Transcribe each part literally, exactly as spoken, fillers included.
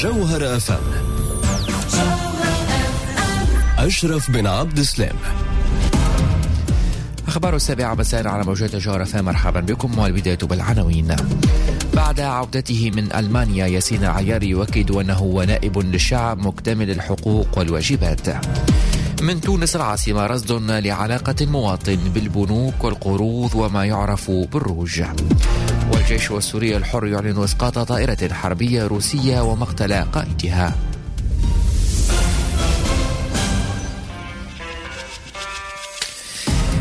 جوهرة أف أم، أشرف بن عبد السلام. أخبار السابعة مساء على موجات جوهرة أف أم، مرحبا بكم والبداية بالعناوين. بعد عودته من ألمانيا ياسين العياري يؤكد أنه نائب للشعب مكتمل الحقوق والواجبات. من تونس العاصمة رصد لعلاقة المواطن بالبنوك والقروض وما يعرف بالروج. والجيش السوري الحر يعلن إسقاط طائرة حربية روسية ومقتل قائدها.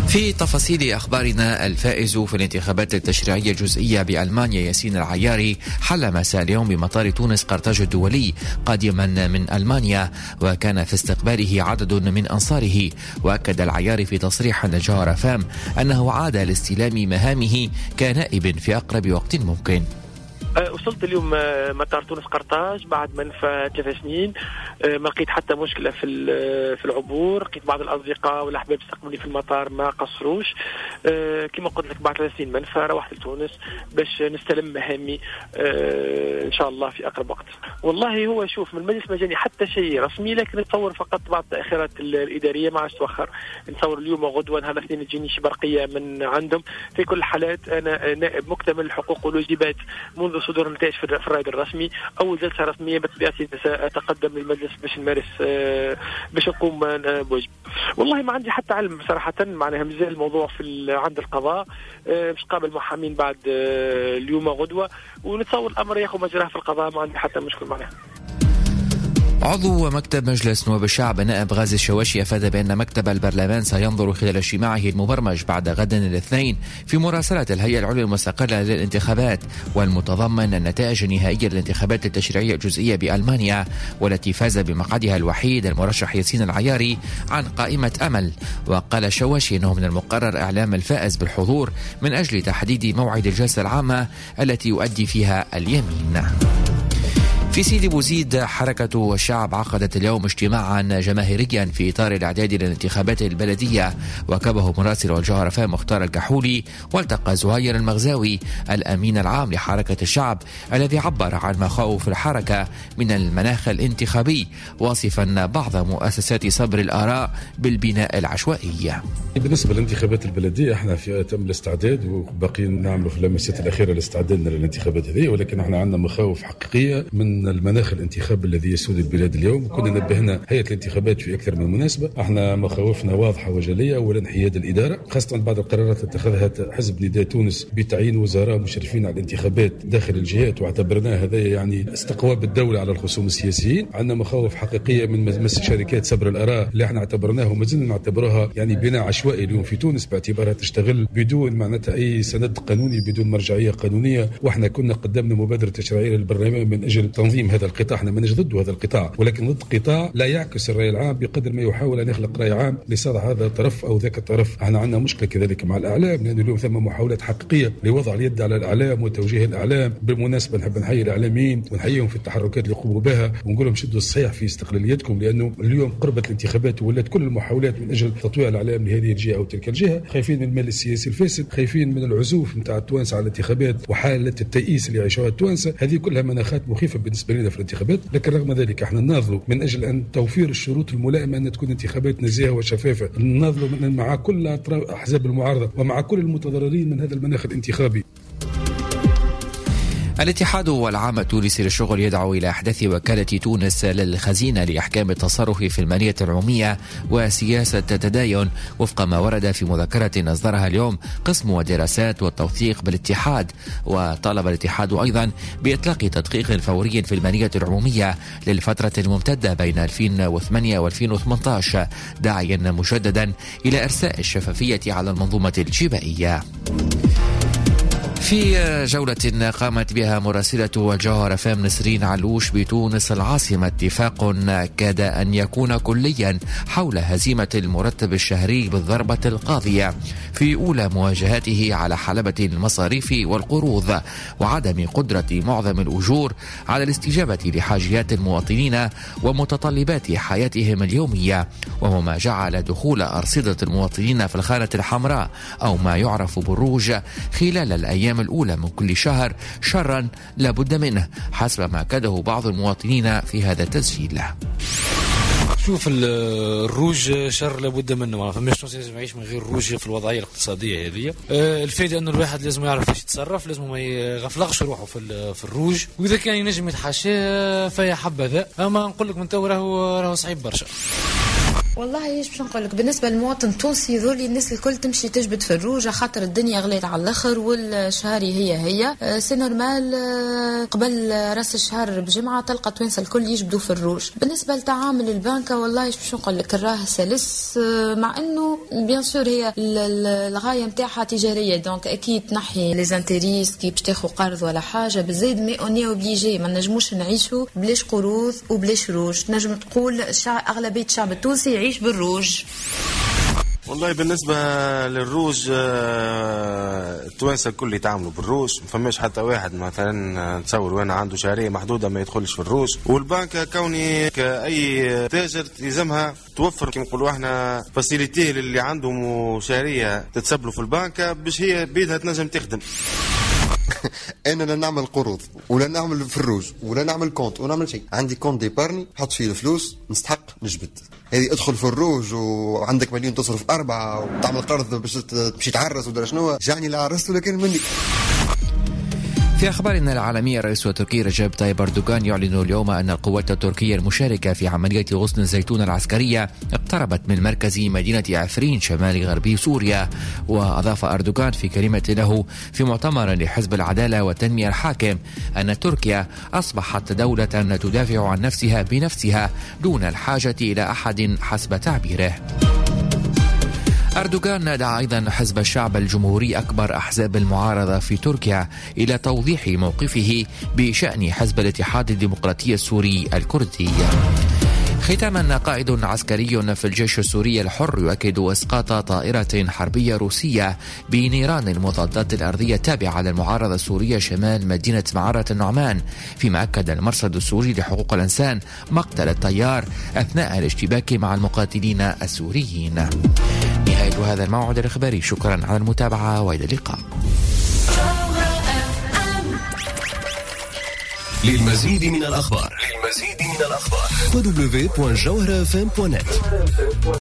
في تفاصيل أخبارنا، الفائز في الانتخابات التشريعية الجزئية بألمانيا ياسين العياري حل مساء اليوم بمطار تونس قرطاج الدولي قادما من ألمانيا، وكان في استقباله عدد من أنصاره. وأكد العياري في تصريح لجوهرة فام أنه عاد لاستلام مهامه كنائب في أقرب وقت ممكن. وصلت اليوم مطار تونس قرطاج بعد منفى ثلاث سنين، ما لقيت حتى مشكلة في في العبور، لقيت بعض الأصدقاء والأحباب استقبلوني في المطار ما قصروش. كما قلت لك بعد ثلاث سنين منفى روحت لتونس باش نستلم مهامي إن شاء الله في أقرب وقت. والله هو شوف من المجلس ما جاني حتى شيء رسمي، لكن نتصور فقط بعض التأخيرات الإدارية ما عادش توخر، نتصور اليوم وغدوة نهار الاثنين تجيني شي برقية من عندهم. في كل الحالات أنا نائب مكتمل الحقوق والواجبات منذ صدور النتائج في الرائد الرسمي. أول جلسة رسمية بطبيعتي سأتقدم للمجلس باش نمارس باش نقوم بواجب. والله ما عندي حتى علم صراحة، معناها مازال الموضوع في عند القضاء، باش قابل محامين بعد اليوم غدوة، ونتصور الأمر ياخذ مجراه في القضاء، ما عندي حتى مشكل معناها. عضو مكتب مجلس نواب الشعب نائب غازي الشواشي أفاد بأن مكتب البرلمان سينظر خلال اجتماعه المبرمج بعد غد الاثنين في مراسلة الهيئة العليا المستقلة للانتخابات والمتضمن النتائج النهائية للانتخابات التشريعية الجزئية بألمانيا، والتي فاز بمقعدها الوحيد المرشح ياسين العياري عن قائمة أمل. وقال الشواشي أنه من المقرر إعلام الفائز بالحضور من أجل تحديد موعد الجلسة العامة التي يؤدي فيها اليمين. في سيدي بوزيد حركة الشعب عقدت اليوم اجتماعا جماهيريا في إطار الإعداد للانتخابات البلدية، وكبه مراسل الجوهرة فام مختار الكحولي، والتقى زهير المغزاوي الأمين العام لحركة الشعب الذي عبر عن مخاوف الحركة من المناخ الانتخابي، واصفا بعض مؤسسات صبر الآراء بالبناء العشوائي. بالنسبة للانتخابات البلدية احنا في أتم الاستعداد وباقيين نعملوا في اللمسات الأخيرة لاستعدادنا للانتخابات هذه، ولكن احنا عندنا مخاوف حقيقية من المناخ الانتخابي الذي يسود البلاد اليوم. كنا نبهنا هيئة الانتخابات في أكثر من مناسبة، احنا مخاوفنا واضحة وجلية. أولا حياد الإدارة، خاصة بعد القرارات اللي اتخذها حزب نداء تونس بتعيين وزراء مشرفين على الانتخابات داخل الجهات، واعتبرناه هذا يعني استقواء بالدولة على الخصوم السياسيين. عندنا مخاوف حقيقية من مس شركات سبر الآراء اللي احنا اعتبرناه وما زلنا نعتبرها يعني بناء عشوائي اليوم في تونس، باعتبارها تشتغل بدون معناتها أي سند قانوني، بدون مرجعية قانونية. واحنا كنا قدمنا مبادرة تشريعية للبرلمان من أجل تنظيم هذا القطاع. احنا ماناش ضد هذا القطاع، ولكن ضد قطاع لا يعكس الرأي العام بقدر ما يحاول أن يخلق رأي عام لصالح هذا الطرف أو ذاك الطرف. احنا عندنا مشكلة كذلك مع الإعلام، لأن اليوم ثم محاولات حقيقية لوضع اليد على الإعلام وتوجيه الإعلام. بالمناسبة نحب نحيي الإعلاميين ونحييهم في التحركات اللي يقوموا بها، ونقول لهم شدوا الصحيح في استقلاليتكم، لأنه اليوم قربت الانتخابات ولات كل المحاولات من أجل تطويع الإعلام لهذه الجهة أو تلك الجهة. خايفين من المال السياسي الفاسد، خايفين من العزوف نتاع التوانسة على الانتخابات وحالة التيئيس اللي يعيشوها التوانسة. هذه كلها مناخات مخيفة بالنسبة لنا في الانتخابات، لكن رغم ذلك احنا نناضلوا من أجل أن توفير الشروط الملائمة أن تكون انتخابات نزيهة وشفافة. نناضلوا مع كل أحزاب المعارضة ومع كل المتضررين من هذا المناخ الانتخابي. الاتحاد والعام التونسي للشغل يدعو إلى إحداث وكالة تونس للخزينة لإحكام التصرف في المالية العمومية وسياسة التداين، وفق ما ورد في مذكرة أصدرها اليوم قسم الدراسات والتوثيق بالاتحاد. وطالب الاتحاد أيضا بإطلاق تدقيق فوري في المالية العمومية للفترة الممتدة بين ألفين وثمانية وألفين وثمانية عشر، داعيا مجددا إلى إرساء الشفافية على المنظومة الجبائية. في جولة قامت بها مراسلة الجوهرة فام نسرين علوش بتونس العاصمة، اتفاق كاد أن يكون كليا حول هزيمة المرتب الشهري بالضربة القاضية في أولى مواجهاته على حلبة المصاريف والقروض، وعدم قدرة معظم الأجور على الاستجابة لحاجيات المواطنين ومتطلبات حياتهم اليومية، وهو ما جعل دخول أرصدة المواطنين في الخانة الحمراء أو ما يعرف بالروج خلال الأيام الأيام الأولى من كل شهر شرا لا بد منه، حسب ما أكده بعض المواطنين في هذا التسجيل. شوف الروج شر لابد منه، ما فماش تونسي لازم يعيش من غير روج في الوضعية الاقتصادية هذه. الفائدة انه الواحد لازم يعرف كيفاش يتصرف، لازم ما يغفلقش روحه في في الروج، واذا كان ينجم يتحاشاه فيا حبذا، اما نقول لك من تو راهو راهو صعيب برشا. والله ايش باش نقول لك، بالنسبة للمواطن التونسي ذولي الناس الكل تمشي تجبد في الروج خاطر الدنيا غليت على الاخر والشهري هي هي c'est normal. قبل راس الشهر بجمعه تلقى التوانسة الكل يجبدوا في الروج. بالنسبة لتعامل البنكه والله ايش باش نقول لك، راه سلس، مع انه bien sûr هي الغاية نتاعها تجارية، donc اكيد تنحي les intérêts كي باش تاخذ قرض ولا حاجة بالزايد، mais on est obligé، ما نجموش نعيشوا بلاش قروض وبلاش روج. نجم تقول اغلبية الشعب التونسي يعيش بالروج. والله بالنسبة للروج التوانسة الكل يتعاملوا بالروج، ما فماش حتى واحد مثلا نتصور وانا عنده شهرية محدودة ما يدخلش في الروج. والبنك كوني كأي تاجر يلزمها توفر كما نقولوا احنا facilité للي عندهم شهرية تتسبلوا في البنك باش هي بيدها تنجم تخدم. انا لا نعمل قروض ولا نعمل في الروج ولا نعمل compte ولا نعمل شيء، عندي compte d'épargne نحط فيه الفلوس نستحق نجبد. هذه ادخل في الروج وعندك مليون تصرف أربعة وتعمل قرض باش تمشي تعرس ولا شنو، جعني لا عرست ولا كان مني. في أخبارنا العالمية، الرئيس التركي رجب طيب أردوغان يعلن اليوم أن القوات التركية المشاركة في عملية غصن الزيتون العسكرية اقتربت من مركز مدينة عفرين شمال غربي سوريا. وأضاف أردوغان في كلمة له في مؤتمر لحزب العدالة والتنمية الحاكم أن تركيا أصبحت دولة تدافع عن نفسها بنفسها دون الحاجة إلى أحد حسب تعبيره. أردوغان دعا أيضا حزب الشعب الجمهوري أكبر أحزاب المعارضة في تركيا إلى توضيح موقفه بشأن حزب الاتحاد الديمقراطي السوري الكردي. ختاما، قائد عسكري في الجيش السوري الحر يؤكد إسقاط طائرة حربية روسية بنيران المضادات الأرضية التابعة للمعارضة السورية شمال مدينة معرة النعمان، فيما أكد المرصد السوري لحقوق الإنسان مقتل الطيار أثناء الاشتباك مع المقاتلين السوريين. نهاية هذا الموعد الإخباري، شكرا على المتابعة وإلى اللقاء. للمزيد من الأخبار للمزيد من الأخبار دبليو دبليو دبليو دوت جوهرة إف إم دوت نت.